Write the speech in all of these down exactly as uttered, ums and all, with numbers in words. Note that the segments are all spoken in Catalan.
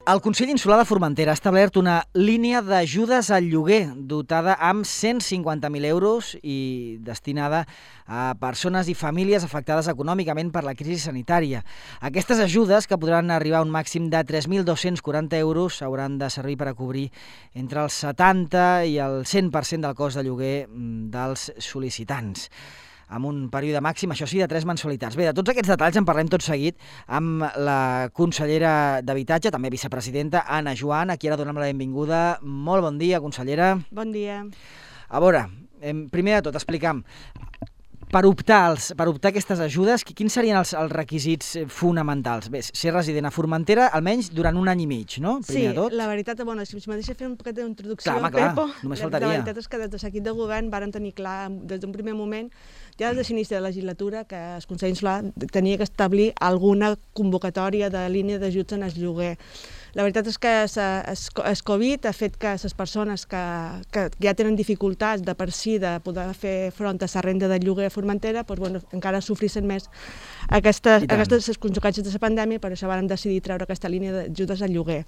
El Consell Insular de Formentera ha establert una línia d'ajudes al lloguer dotada amb cent cinquanta mil euros i destinada a persones i famílies afectades econòmicament per la crisi sanitària. Aquestes ajudes, que podran arribar a un màxim de tres mil dos-cents quaranta euros, hauran de servir per a cobrir entre el setanta i el cent per cent del cost de lloguer dels sol·licitants, amb un període màxim, això sí, de tres mensualitats. Bé, de tots aquests detalls en parlem tot seguit amb la consellera d'Habitatge, també vicepresidenta, Anna Joan, a qui ara donem la benvinguda. Molt bon dia, consellera. Bon dia. A veure, primer de tot, explica'm, per optar, els, per optar aquestes ajudes, quins serien els, els requisits fonamentals? Bé, ser resident a Formentera almenys durant un any i mig, no? Primer sí, de tot. La veritat, bueno, si me deixa fer un poquet d'introducció, clar, home, clar, Pepo, només la, faltaria. La veritat és que des de l'equip de govern varen tenir clar des d'un primer moment, ja des de l'inici de la legislatura, que el Consell Insular tenia que establir alguna convocatòria de línia d'ajuts en el lloguer. La veritat és que el Covid ha fet que les persones que, que ja tenen dificultats de per si de poder fer front a la renda de lloguer a Formentera, doncs, bueno, encara sofrissin més aquestes, aquestes conseqüències de la pandèmia, per això vam decidir treure aquesta línia d'ajudes al lloguer.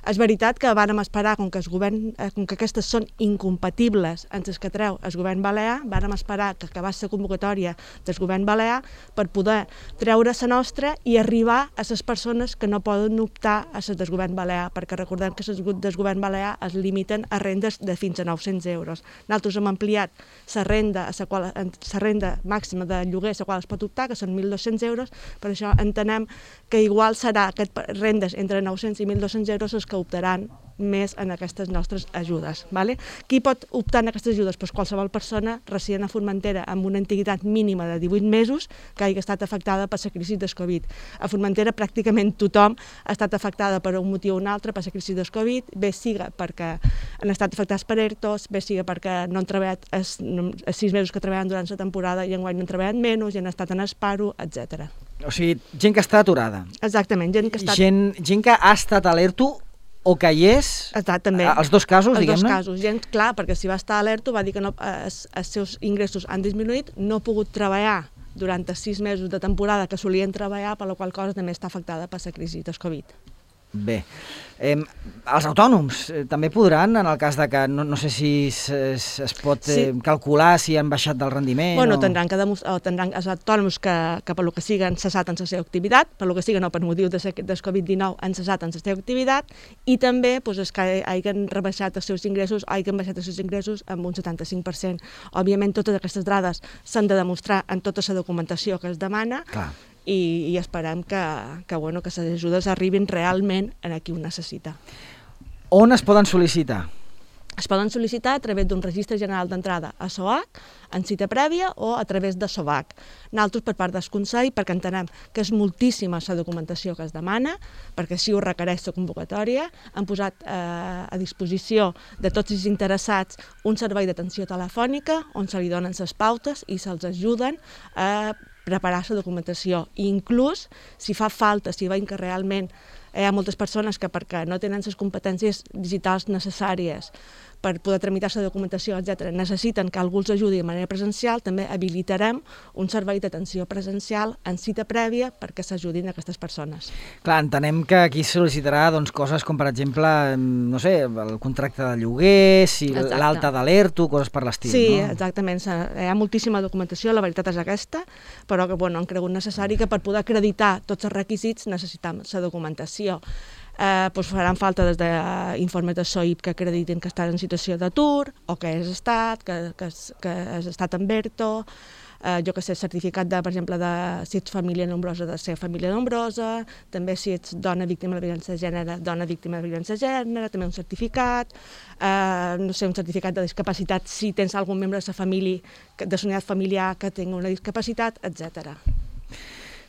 És veritat que vàrem esperar, com que, el govern, com que aquestes són incompatibles amb les que treu el govern balear, vàrem esperar que acabés la convocatòria del govern balear per poder treure la nostra i arribar a les persones que no poden optar a les del govern balear, perquè recordem que les del govern balear es limiten a rendes de fins a nou-cents euros. Nosaltres hem ampliat la renda, la, qual, la renda màxima de lloguer a la qual es pot optar, que són mil dos-cents euros, per això entenem que igual serà aquestes rendes entre nou-cents i mil dos-cents euros els que optaran més en aquestes nostres ajudes. Vale? Qui pot optar en aquestes ajudes? Pues qualsevol persona resident a Formentera amb una antiguitat mínima de divuit mesos que hagi estat afectada per la crisi del Covid. A Formentera pràcticament tothom ha estat afectada per un motiu o un altre per la crisi del Covid, bé siga perquè han estat afectats per ERTOs, bé siga perquè no han treballat els, els sis mesos que treballen durant la temporada i enguany no han treballat menys i han estat en esparo, etcètera. O sigui, gent que està aturada. Exactament, gent que ha estat... Gent, gent que ha estat a l'ERTO o que hi és, també. Els dos casos, diguem-ne? Els dos casos, gent, clar, perquè si va estar a l'ERTO va dir que no, els, els seus ingressos han disminuït, no ha pogut treballar durant els sis mesos de temporada que solien treballar, per la qual cosa també està afectada per la crisi del Covid. Bé, eh, els autònoms eh, també podran, en el cas de que no, no sé si es, es, es pot eh, sí. calcular si han baixat del rendiment bueno, o... tindran que demostrar, tindran els autònoms que, que per lo que sigui han cessat en la seva activitat, per lo que sigui no per motiu de, del Covid dinou han cessat en la seva activitat i també pues, els que hagin rebaixat els seus ingressos hagin baixat els seus ingressos amb un setanta-cinc per cent. Òbviament totes aquestes dades s'han de demostrar en tota la documentació que es demana. Clar. I, i esperem que, que, bueno, que les ajudes arribin realment a qui ho necessita. On es poden sol·licitar? Es poden sol·licitar a través d'un registre general d'entrada a SOAC, en cita prèvia o a través de SOVAC. Nosaltres, per part del Consell, perquè entenem que és moltíssima la documentació que es demana, perquè així ho requereix la convocatòria, han posat eh, a disposició de tots els interessats un servei d'atenció telefònica on se li donen les pautes i se'ls ajuden a preparar la documentació. I inclús, si fa falta, si veiem que realment hi ha moltes persones que perquè no tenen les competències digitals necessàries per poder tramitar la documentació, etcètera, necessiten que algú els ajudi de manera presencial, també habilitarem un servei d'atenció presencial en cita prèvia perquè s'ajudin aquestes persones. Clar, entenem que aquí sol·licitarà doncs, coses com, per exemple, no sé, el contracte de lloguer, si l'alta de l'ERTO, coses per l'estil, sí, no? Sí, exactament. Hi ha moltíssima documentació, la veritat és aquesta, però que bueno, han cregut necessari que per poder acreditar tots els requisits necessitem la documentació. Eh, doncs faran falta des d'informes de S O I P que acreditin que estan en situació d'atur o que has estat, que, que, que has estat en ERTO, eh, jo que sé, certificat de, per exemple, de si ets família nombrosa, de ser família nombrosa, també si ets dona víctima de violència de gènere, dona víctima de violència de gènere, també un certificat, eh, no sé, un certificat de discapacitat si tens algun membre de la família, de la unitat familiar que tingui una discapacitat, etcètera.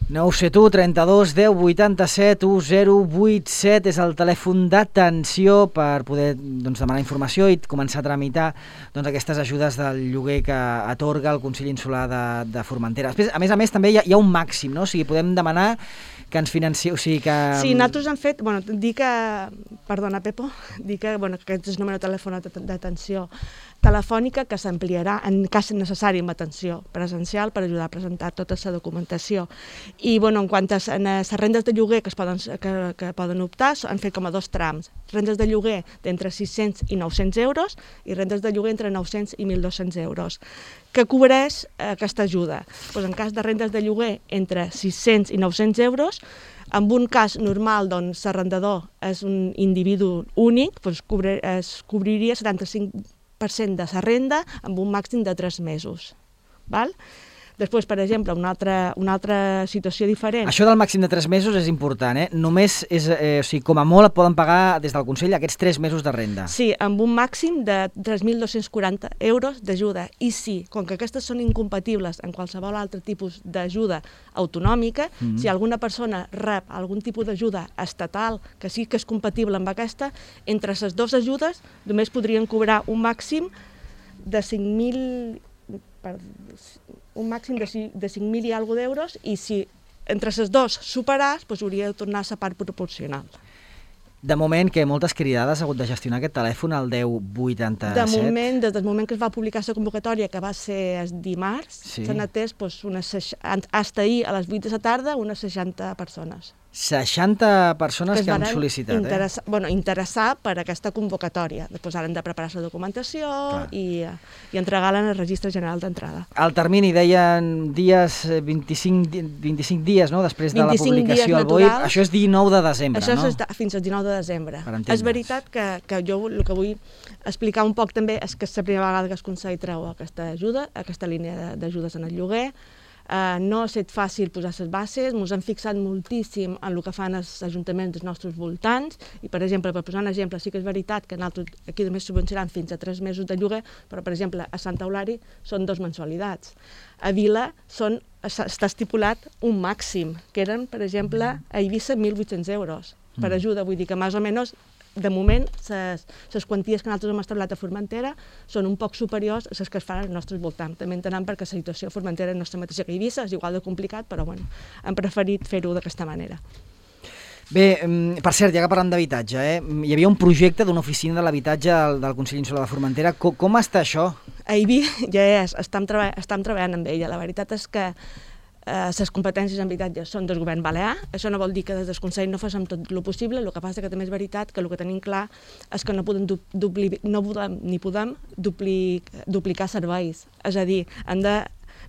nou set u, trenta-dos, deu, vuitanta-set, u, zero, vuit set és el telèfon d'atenció per poder doncs, demanar informació i començar a tramitar doncs, aquestes ajudes del lloguer que atorga el Consell Insular de, de Formentera. Després, a més a més, també hi ha, hi ha un màxim, no? O sigui, podem demanar que ens financieu, o sigui que... Sí, nosaltres hem fet, bueno, dir que, perdona Pepo, dir que, bueno, que aquest és el número de telèfon d'atenció telefònica que s'ampliarà en cas necessari amb atenció presencial per ajudar a presentar tota la documentació. I bueno, en quant a les rendes de lloguer que, es poden, que, que poden optar, han fet com a dos trams. Rendes de lloguer d'entre sis-cents i nou-cents euros i rendes de lloguer entre nou-cents i mil dos-cents euros. Què cobreix aquesta ajuda? Pues en cas de rendes de lloguer entre sis-cents i nou-cents euros, en un cas normal, doncs, l'arrendador és un individu únic, doncs cobrir, es cobriria setanta-cinc per cent de la renda amb un màxim de tres mesos. Val? Després, per exemple, una altra, una altra situació diferent. Això del màxim de tres mesos és important, eh? Només, és, eh, o sigui, com a molt, et poden pagar des del Consell aquests tres mesos de renda. Sí, amb un màxim de tres mil dos-cents quaranta euros d'ajuda. I sí, com que aquestes són incompatibles en qualsevol altre tipus d'ajuda autonòmica, mm-hmm. si alguna persona rep algun tipus d'ajuda estatal que sí que és compatible amb aquesta, entre les dues ajudes només podrien cobrar un màxim de cinc mil... Per, un màxim de, de cinc mil i alguna d'euros i si entre les dues superàs, doncs hauria de tornar a la part proporcional. De moment, que moltes cridades ha hagut de gestionar aquest telèfon, el deu vuitanta-set? De moment, des del moment que es va publicar la convocatòria, que va ser el dimarts, sí. S'han atès, doncs, unes, hasta ahir a les vuit de la tarda, unes seixanta persones. seixanta persones que, que han sol·licitat, interessa, eh? Bueno, interessar per aquesta convocatòria. Després han de preparar la documentació i, i entregar-la en el Registre General d'Entrada. El termini, deien dies, vint-i-cinc, vint-i-cinc dies, no?, després de la publicació al B O I. Això és dinou de desembre, això no? Això és fins al dinou de desembre. És veritat que, que jo el que vull explicar un poc també és que és la primera vegada que el Consell treu aquesta ajuda, aquesta línia d'ajudes en el lloguer. Uh, no ha estat fàcil posar les bases, ens hem fixat moltíssim en el que fan els ajuntaments dels nostres voltants i, per exemple, per posar un exemple, sí que és veritat que nosaltres aquí només subvencionaran fins a tres mesos de lloguer, però, per exemple, a Sant Eulàri són dos mensualitats. A Vila són, està estipulat un màxim, que eren, per exemple, a Eivissa mil vuit-cents euros per ajuda, vull dir que més o menys de moment, les quanties que nosaltres hem establert a Formentera són un poc superiors a les que es fan als nostres voltants. També entenem perquè la situació a Formentera no és la mateixa que a Eivissa, és igual de complicat, però bueno, hem preferit fer-ho d'aquesta manera. Bé, per cert, ja que parlem d'habitatge, eh? hi havia un projecte d'una oficina de l'habitatge del, del Consell Insular de Formentera. Com, com està això? A Ibi ja és, estem, treba estem treballant amb ella. La veritat és que les eh, competències en habitatge són del govern balear. Això no vol dir que des del Consell no facin tot el possible, el que passa que també és veritat que el que tenim clar és que no podem, dupli, no podem ni podem dupli, duplicar serveis. És a dir, hem de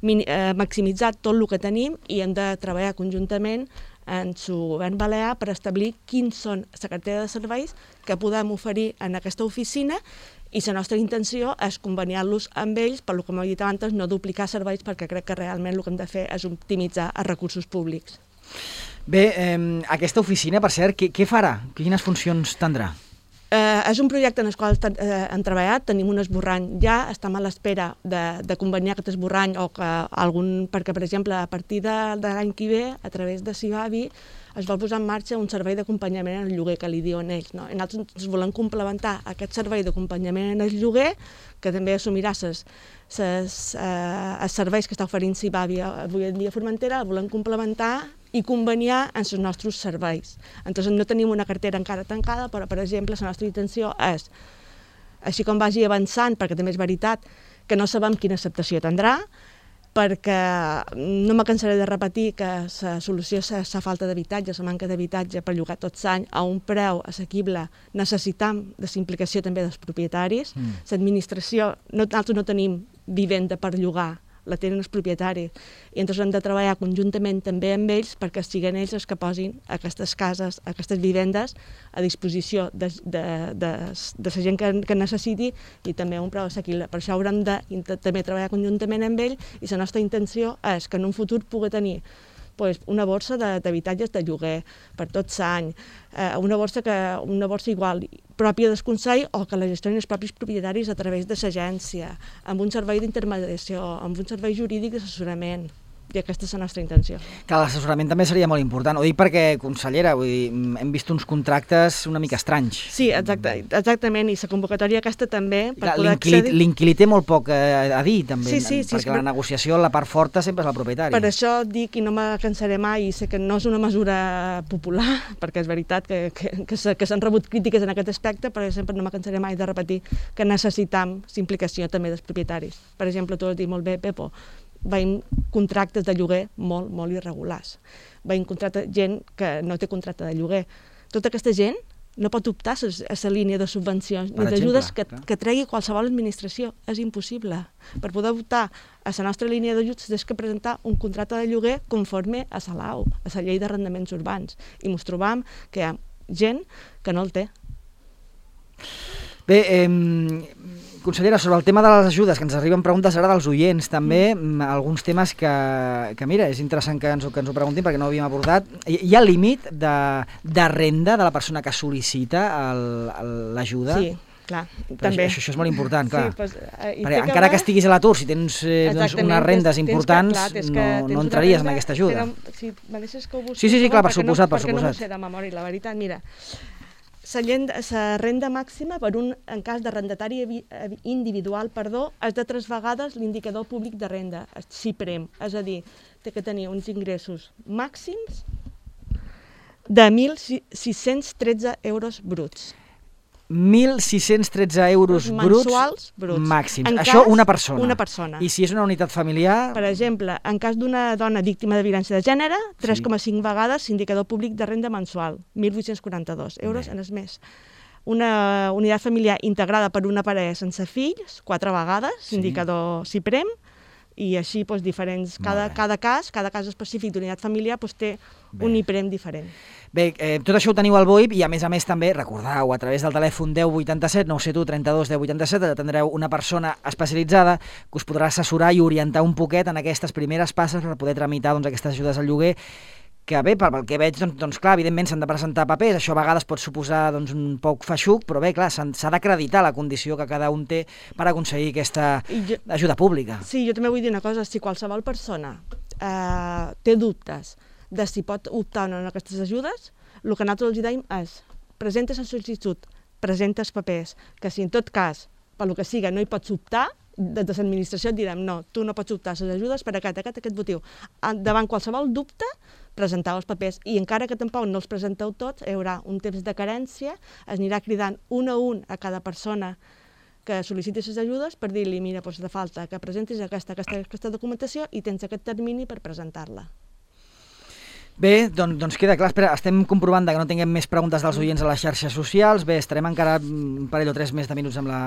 mini, eh, maximitzar tot el que tenim i hem de treballar conjuntament en el govern balear per establir quins són la cartera de serveis que podem oferir en aquesta oficina i la nostra intenció és conveniar-los amb ells, per lo que m'he dit abans, no duplicar serveis, perquè crec que realment el que hem de fer és optimitzar els recursos públics. Bé, eh, aquesta oficina, per cert, què, què farà? Quines funcions tindrà? Eh, és un projecte en el qual eh, hem treballat, tenim un esborrany ja, estem a l'espera de, de conveniar aquest esborrany o que algun, perquè, per exemple, a partir de, de l'any que ve, a través de Sibavi, es vol posar en marxa un servei d'acompanyament en el lloguer, que li diuen ells. No? I nosaltres volem complementar aquest servei d'acompanyament en el lloguer, que també assumirà ses, ses, eh, els serveis que està oferint Sibavi avui en dia a Formentera, el volem complementar i conveniar en els nostres serveis. Entonces, no tenim una cartera encara tancada, però, per exemple, la nostra intenció és, així com vagi avançant, perquè també és veritat que no sabem quina acceptació tindrà, perquè no me cansaré de repetir que la solució és la falta d'habitatge, la manca d'habitatge per llogar tots l'any a un preu assequible. Necessitam de la implicació també dels propietaris. Mm. L'administració, no, nosaltres no tenim vivenda per llogar, la tenen els propietaris, i llavors hem de treballar conjuntament també amb ells perquè siguin ells els que posin aquestes cases, aquestes vivendes a disposició de, de, de, de la gent que, que necessiti i també a un preu assequible. Per això haurem de també treballar conjuntament amb ells i la nostra intenció és que en un futur pugui tenir pues, una borsa d'habitatges de, de lloguer per tot l'any, eh, una, borsa que, una borsa igual pròpia del Consell o que la gestionen els propis propietaris a través de l'agència, amb un servei d'intermediació, amb un servei jurídic d'assessorament. I aquesta és la nostra intenció. Que l'assessorament també seria molt important. Ho dic perquè, consellera, vull dir, hem vist uns contractes una mica estranys. Sí, exacte, exactament, i la convocatòria aquesta també... per poder accedir... L'inquilí té molt poc a, a dir, també, sí, sí, sí, perquè sí, la negociació, la part forta sempre és el propietari. Per això dic, i no me cansaré mai, i sé que no és una mesura popular, perquè és veritat que, que, que, que s'han rebut crítiques en aquest aspecte, però sempre no me cansaré mai de repetir que necessitam l'implicació també dels propietaris. Per exemple, tu ho has dit molt bé, Pepo, veiem contractes de lloguer molt, molt irregulars. Veiem contracte, gent que no té contracte de lloguer. Tota aquesta gent no pot optar a la línia de subvencions ni d'ajudes que, que tregui qualsevol administració. És impossible. Per poder optar a la nostra línia d'ajuts tens que presentar un contracte de lloguer conforme a la L A U, a la llei d'arrendaments urbans. I ens trobam que hi ha gent que no el té. Bé, eh, consellera, sobre el tema de les ajudes, que ens arriben preguntes ara dels oients, també, mm. alguns temes que, que, mira, és interessant que ens, que ens ho preguntin perquè no ho havíem abordat. Hi, hi ha límit de, de renda de la persona que sol·licita l'ajuda? Sí, clar, però també. Això, això és molt important, clar. Sí, pues, eh, perquè encara que, que estiguis a l'atur, si tens eh, doncs, unes rendes importants, que, clar, no, no entraries en aquesta ajuda. Però, si me deixes que ho busqui, sí, sí, sí, clar, per suposat, no, per suposat. Perquè no ho sé de memòria, la veritat, mira... La renda màxima per un, en cas d'arrendatari individual, perdó, és de tres vegades l'indicador públic de renda, el CIPREM, és a dir, té que tenir uns ingressos màxims de mil sis-cents tretze euros bruts. mil sis-cents tretze euros bruts, bruts màxims. En Això cas, una persona. una persona. I si és una unitat familiar... Per exemple, en cas d'una dona víctima de violència de gènere, tres coma cinc sí. vegades l'indicador públic de renda mensual, mil vuit-cents quaranta-dos euros Bé. En el mes. Una unitat familiar integrada per una parella sense fills, quatre vegades, sí. indicador CIPREM, i així doncs, diferents. Cada, cada cas, cada cas específic d'unitat familiar doncs, té Bé. un IPREM diferent. Bé, eh, tot això ho teniu al B O I P i a més a més també, recordeu, a través del telèfon deu vuitanta-set, nou set u trenta-dos deu vuitanta-set, tindreu una persona especialitzada que us podrà assessorar i orientar un poquet en aquestes primeres passes per poder tramitar doncs, aquestes ajudes al lloguer, que bé, pel que veig, doncs, doncs clar, evidentment s'han de presentar papers, això a vegades pot suposar doncs, un poc feixuc, però bé, clar, s'ha d'acreditar la condició que cada un té per aconseguir aquesta jo, ajuda pública. Sí, jo també vull dir una cosa, si qualsevol persona eh, té dubtes de si pot optar o no en aquestes ajudes, el que nosaltres els dèiem és presenta la sol·licitud, presenta els papers, que si en tot cas, per lo que siga, no hi pots optar, des de l'administració et direm no, tu no pots optar a les ajudes per aquest, aquest, aquest motiu. Davant qualsevol dubte, presenteu els papers i encara que tampoc no els presenteu tots, hi haurà un temps de carència, es anirà cridant un a un a cada persona que sol·liciti les ajudes per dir-li, mira, doncs de falta que presentis aquesta, aquesta, aquesta documentació i tens aquest termini per presentar-la. Bé, doncs, doncs queda clar. Espera, estem comprovant que no tinguem més preguntes dels oients a les xarxes socials. Bé, estarem encara un parell o tres més de minuts amb la,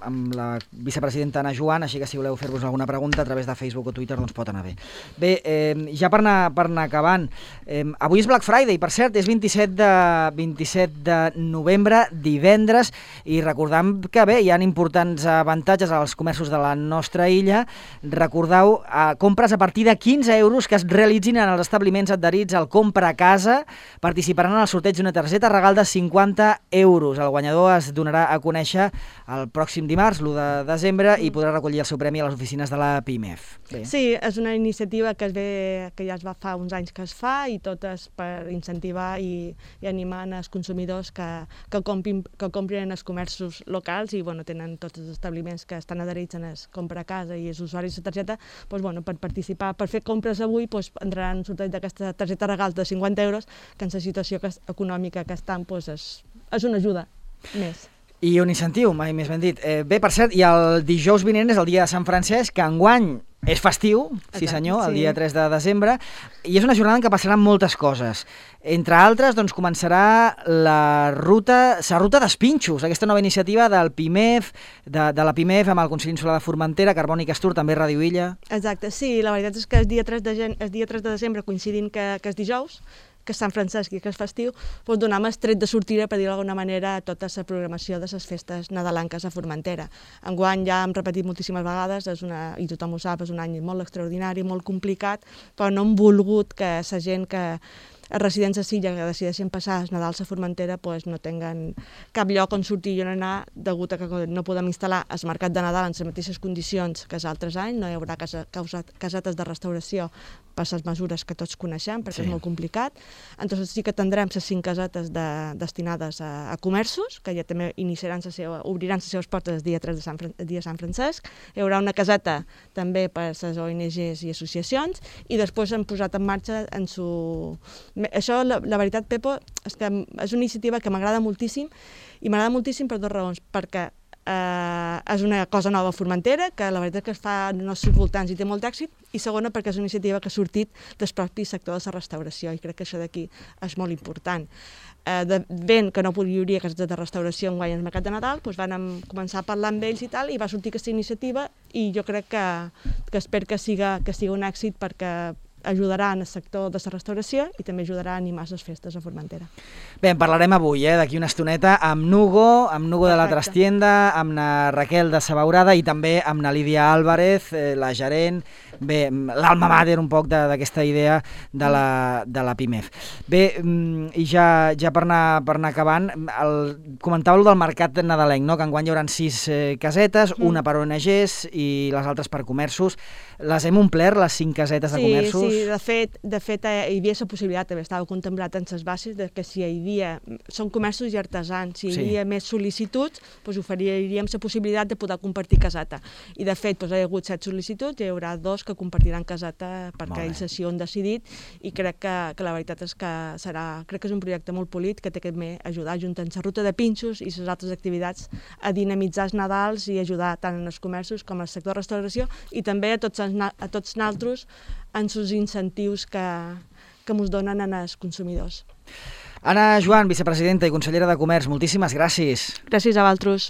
amb la vicepresidenta Ana Joan, així que si voleu fer-vos alguna pregunta a través de Facebook o Twitter, doncs pot anar bé. Bé, eh, ja per anar, per anar acabant, eh, avui és Black Friday, per cert, és vint-i-set de novembre, divendres, i recordem que bé, hi ha importants avantatges als comerços de la nostra illa. Recordeu, eh, compres a partir de quinze euros que es realitzin en els establiments adherits al Compra a Casa, participaran en el sorteig d'una targeta regal de cinquanta euros. El guanyador es donarà a conèixer el pròxim dimarts, l'u de desembre, i podrà recollir el seu premi a les oficines de la PIMEF. Bé. Sí, és una iniciativa que, es ve, que ja es va fa uns anys que es fa, i tot és per incentivar i, i animar els consumidors que, que, comprin, que comprin en els comerços locals i bueno, tenen tots els establiments que estan adherits en el Compra a Casa i els usuaris de targeta, doncs, bueno, per participar, per fer compres avui, doncs, entraran un sorteig d'aquesta targeta regals de cinquanta euros, que en la situació que, econòmica que estan doncs és, és una ajuda més. I un incentiu, mai més ben dit. Eh, bé, per cert, i el dijous vinent és el dia de Sant Francesc, que enguany és festiu, sí senyor, el dia tres de desembre, i és una jornada en què passaran moltes coses. Entre altres, doncs, començarà la ruta, la ruta d'Espinxos, aquesta nova iniciativa del PIMEF, de, de la PIMEF amb el Consell Insular de Formentera, Carboni i Castur, també Ràdio Illa. Exacte, sí, la veritat és que el dia tres de, gen... el dia tres de desembre, coincidint que, que és dijous, que és Sant Francesc i que és festiu, doncs donem el tret de sortida, per dir d'alguna manera, a tota la programació de les festes nadalenques a Formentera. Enguany ja hem repetit moltíssimes vegades, és una, i tothom ho sap, és un any molt extraordinari, molt complicat, però no hem volgut que la gent que els residents de Silla que decideixen passar els Nadals a Formentera pues, no tinguen cap lloc on sortir i on anar, degut a que no podem instal·lar el mercat de Nadal en les mateixes condicions que els altres anys, no hi haurà casa, causat, casetes de restauració per les mesures que tots coneixem, perquè Sí. és molt complicat. Entonces sí que tindrem les cinc casetes de, destinades a, a comerços, que ja també iniciaran la seva, obriran les seves portes el dia tres de Sant, Fran- el dia de Sant Francesc. Hi haurà una caseta també per a les O N Ges i associacions, i després hem posat en marxa en su... Això, la, la veritat, Pepo, és que és una iniciativa que m'agrada moltíssim, i m'agrada moltíssim per dues raons, perquè eh, és una cosa nova a Formentera, que la veritat que es fa en els nostres voltants i té molt d'èxit, i segona perquè és una iniciativa que ha sortit del propi sector de la restauració, i crec que això d'aquí és molt important. Eh, de, ben que no hi hauria cases de restauració en guany al mercat de Nadal, doncs vam començar a parlar amb ells i tal, i va sortir aquesta iniciativa, i jo crec que, que espero que siga, que siga un èxit, perquè ajudarà en el sector de la restauració i també ajudarà a animar les festes a Formentera. Bé, en parlarem avui, eh, d'aquí una estoneta, amb Nugo, amb Nugo de la Perfecte. Trastienda, amb na Raquel de Sabaurada i també amb na Lídia Álvarez, eh, la gerent, bé, l'alma mater un poc de- d'aquesta idea de la, de la PIMEF. Bé, mm, i ja, ja per, anar, per anar acabant, el, comentàveu del mercat nadalenc, no? Que enguany hi haurà sis eh, casetes, Mm. una per O N Ges i les altres per comerços. Les hem omplert, les cinc casetes de Sí, comerços? sí, de fet, de fet eh, hi havia la possibilitat, també estava contemplat en les bases, de que si hi havia, són comerços i artesans, si hi Sí. havia més sol·licituds, doncs oferiríem la possibilitat de poder compartir caseta. I de fet, doncs, hi ha hagut set sol·licituds, i hi haurà dos que compartiran caseta Molt perquè bé. ells així ho han decidit, i crec que, que la veritat és que serà, crec que és un projecte molt polit, que té que també ajudar, juntant la ruta de pinxos i les altres activitats, a dinamitzar els Nadals i ajudar tant en els comerços com al sector de restauració, i també a tots, els, na- a tots naltros en els incentius que, que ens donen als consumidors. Anna Joan, vicepresidenta i consellera de Comerç, moltíssimes gràcies. Gràcies a vosaltres.